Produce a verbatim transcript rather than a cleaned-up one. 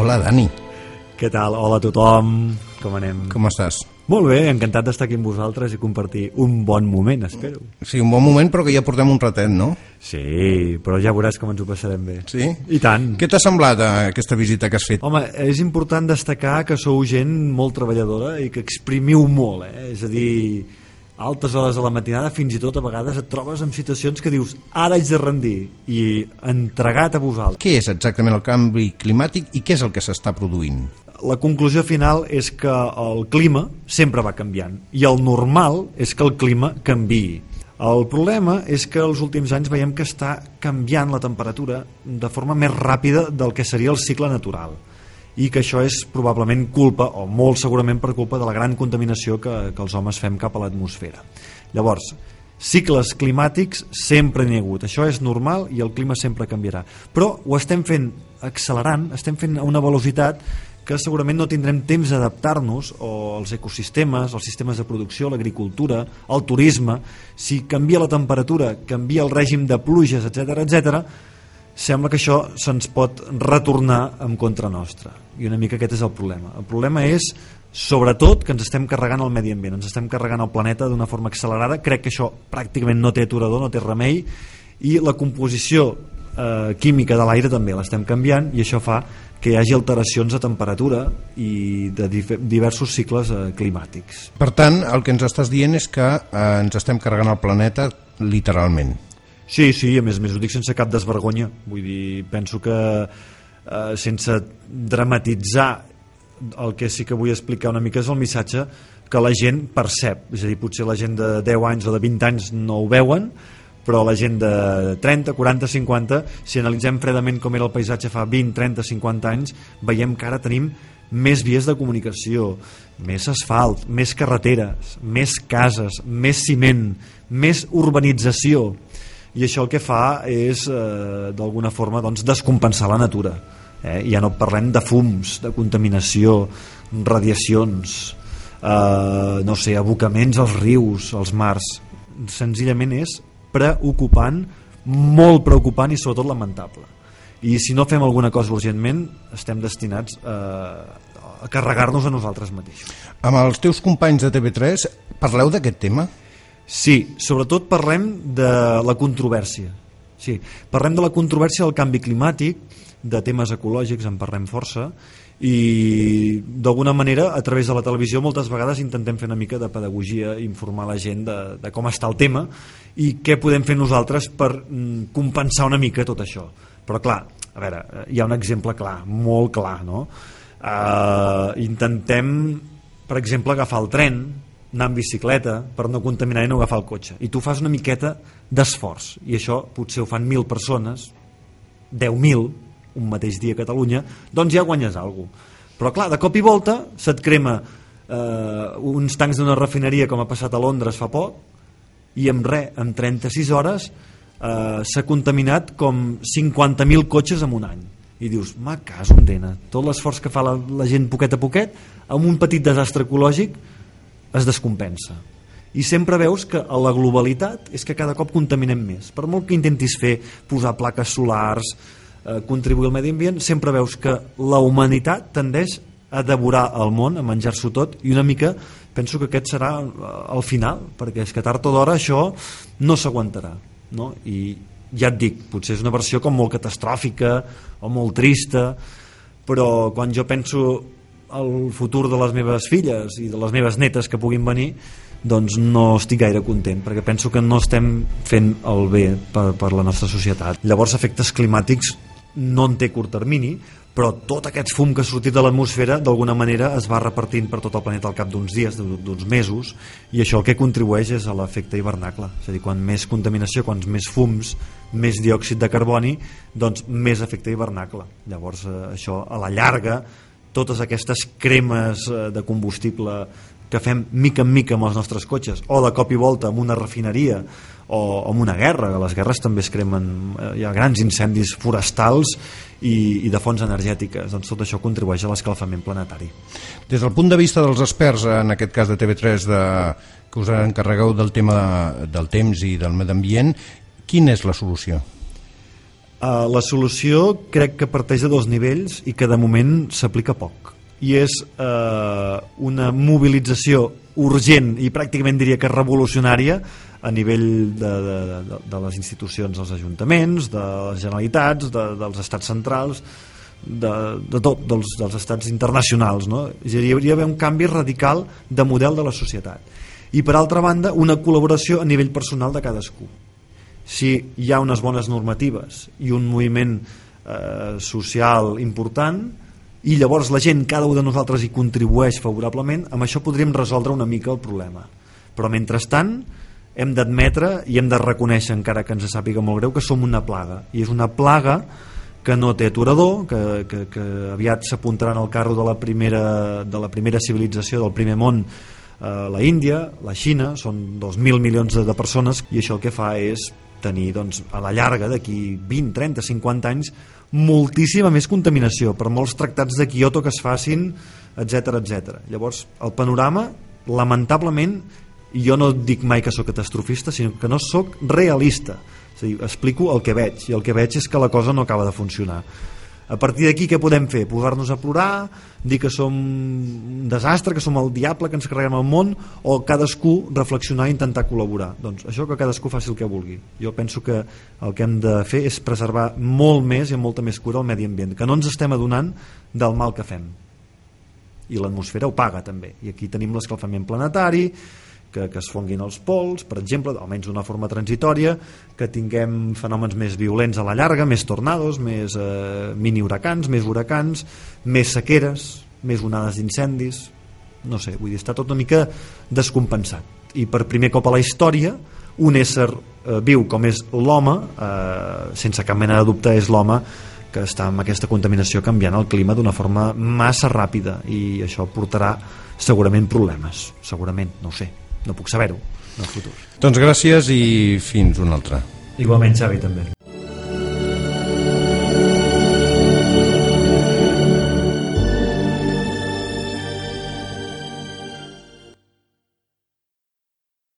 Hola, Dani. Què tal? Hola a tothom. Com anem? Com estàs? Molt bé, encantat d'estar aquí amb vosaltres i compartir un bon moment, espero. Sí, un bon moment, però que ja portem un ratet, no? Sí, però ja veuràs com ens ho passarem bé. Sí? I tant. Què t'ha semblat aquesta visita que has fet? Home, és important destacar que sou gent molt treballadora i que exprimiu molt, eh? És a dir, a altes hores de la matinada, fins i tot a vegades et trobes en situacions que dius ara haig de rendir i entregat a vosaltres. Què és exactament el canvi climàtic i què és el que s'està produint? La conclusió final és que el clima sempre va canviant i el normal és que el clima canviï. El problema és que els últims anys veiem que està canviant la temperatura de forma més ràpida del que seria el cicle natural i que això és probablement culpa, o molt segurament per culpa de la gran contaminació que, que els homes fem cap a l'atmosfera. Llavors, cicles climàtics sempre n'hi ha hagut, això és normal i el clima sempre canviarà, però ho estem fent accelerant, estem fent a una velocitat que segurament no tindrem temps d'adaptar-nos, o els ecosistemes, els sistemes de producció, l'agricultura, el turisme. Si canvia la temperatura, canvia el règim de pluges, etcètera, etcètera, sembla que això se'ns pot retornar en contra nostra. I una mica aquest és el problema. El problema és, sobretot, que ens estem carregant el medi ambient, ens estem carregant el planeta d'una forma accelerada. Crec que això pràcticament no té aturador, no té remei, i la composició eh, química de l'aire també l'estem canviant, i això fa que hi hagi alteracions de temperatura i de diversos cicles eh, climàtics. Per tant, el que ens estàs dient és que eh, ens estem carregant el planeta literalment. Sí, sí, a més a més ho dic sense cap desvergonya. Vull dir, penso que eh, sense dramatitzar, el que sí que vull explicar una mica és el missatge que la gent percep. És a dir, potser la gent de deu anys o de vint anys no ho veuen, però la gent de trenta, quaranta, cinquanta, si analitzem fredament com era el paisatge fa vint, trenta, cinquanta anys, veiem que ara tenim més vies de comunicació, més asfalt, més carreteres, més cases, més ciment, més urbanització, i això el que fa és eh, d'alguna forma doncs, descompensar la natura, eh? Ja no parlem de fums, de contaminació, radiacions, eh, no sé, abocaments als rius, als mars. Senzillament és preocupant, molt preocupant i sobretot lamentable. I si no fem alguna cosa urgentment, estem destinats a, a carregar-nos a nosaltres mateixos. Amb els teus companys de T V tres parleu d'aquest tema? Sí, sobretot parlem de la controvèrsia. Sí, parlem de la controvèrsia del canvi climàtic, de temes ecològics en parlem força, i d'alguna manera a través de la televisió moltes vegades intentem fer una mica de pedagogia, informar la gent de, de com està el tema i què podem fer nosaltres per mm, compensar una mica tot això. Però clar, a veure, hi ha un exemple clar, molt clar, no? Uh, intentem, per exemple, agafar el tren, anar en bicicleta per no contaminar i no agafar el cotxe, i tu fas una miqueta d'esforç, i això potser ho fan mil persones, deu mil un mateix dia a Catalunya, doncs ja guanyes alguna cosa. Però clar, de cop i volta se't crema eh, uns tancs d'una refineria com ha passat a Londres fa poc, i en res, en trenta-sis hores eh, s'ha contaminat com cinquanta mil cotxes en un any. I dius, ma caso en dena, tot l'esforç que fa la, la gent poquet a poquet, amb un petit desastre ecològic es descompensa. I sempre veus que a la globalitat és que cada cop contaminem més. Per molt que intentis fer, posar plaques solars, contribuir al medi ambient, sempre veus que la humanitat tendeix a devorar el món, a menjar-s'ho tot, i una mica penso que aquest serà el final, perquè és que tard o d'hora això no s'aguantarà, no? I ja et dic, potser és una versió com molt catastròfica o molt trista, però quan jo penso al futur de les meves filles i de les meves netes que puguin venir, doncs no estic gaire content, perquè penso que no estem fent el bé per, per la nostra societat. Llavors, efectes climàtics no en té curt termini, però tot aquest fum que ha sortit de l'atmosfera d'alguna manera es va repartint per tot el planeta al cap d'uns dies, d'uns mesos, i això el que contribueix és a l'efecte hivernacle. És a dir, quan més contaminació, quants més fums, més diòxid de carboni, doncs més efecte hivernacle. Llavors això a la llarga, totes aquestes cremes de combustible que fem mica en mica amb els nostres cotxes, o de cop i volta amb una refineria, o amb una guerra, que les guerres també es cremen, hi ha grans incendis forestals i, i de fonts energètiques, doncs tot això contribueix a l'escalfament planetari. Des del punt de vista dels experts, en aquest cas de T V tres, de, que us encarregueu del tema de, del temps i del medi ambient, quina és la solució? Uh, la solució crec que parteix de dos nivells i que de moment s'aplica poc, i és uh, una mobilització urgent i pràcticament diria que revolucionària a nivell de, de, de, de les institucions dels ajuntaments, de les generalitats, de, dels estats centrals, de, de tot, dels, dels estats internacionals, no? Hi hauria d'haver un canvi radical de model de la societat, i per altra banda una col·laboració a nivell personal de cadascú. Si hi ha unes bones normatives i un moviment eh, social important, i llavors la gent, cada un de nosaltres hi contribueix favorablement, amb això podríem resoldre una mica el problema. Però mentrestant hem d'admetre i hem de reconèixer, encara que ens sàpiga molt greu, que som una plaga, i és una plaga que no té aturador, que, que, que aviat s'apuntaran al carro de la primera, de la primera civilització del primer món, eh, la Índia, la Xina, són dos mil milions de persones, i això el que fa és tenir, doncs, a la llarga, d'aquí vint, trenta, cinquanta anys, moltíssima més contaminació per molts tractats de Kyoto que es facin, etcètera, etcètera. Llavors, el panorama, lamentablement, jo no dic mai que sóc catastrofista, sinó que no sóc realista. És a dir, explico el que veig, i el que veig és que la cosa no acaba de funcionar. A partir d'aquí què podem fer? Posar-nos a plorar, dir que som un desastre, que som el diable, que ens carreguem el món, o cadascú reflexionar i intentar col·laborar? Doncs això, que cadascú faci el que vulgui. Jo penso que el que hem de fer és preservar molt més i amb molta més cura el medi ambient, que no ens estem adonant del mal que fem, i l'atmosfera ho paga també, i aquí tenim l'escalfament planetari, que, que es fonguin els pols, per exemple, almenys d'una forma transitòria, que tinguem fenòmens més violents a la llarga, més tornados, més eh, mini huracans, més huracans, més sequeres, més onades d'incendis, no sé, vull dir, està tot una mica descompensat, i per primer cop a la història un ésser eh, viu com és l'home, eh, sense cap mena de dubte és l'home que està amb aquesta contaminació canviant el clima d'una forma massa ràpida, i això portarà segurament problemes, segurament, no ho sé, no puc saber-ho en el futur. Doncs gràcies i fins una altra. Igualment, Xavi, també.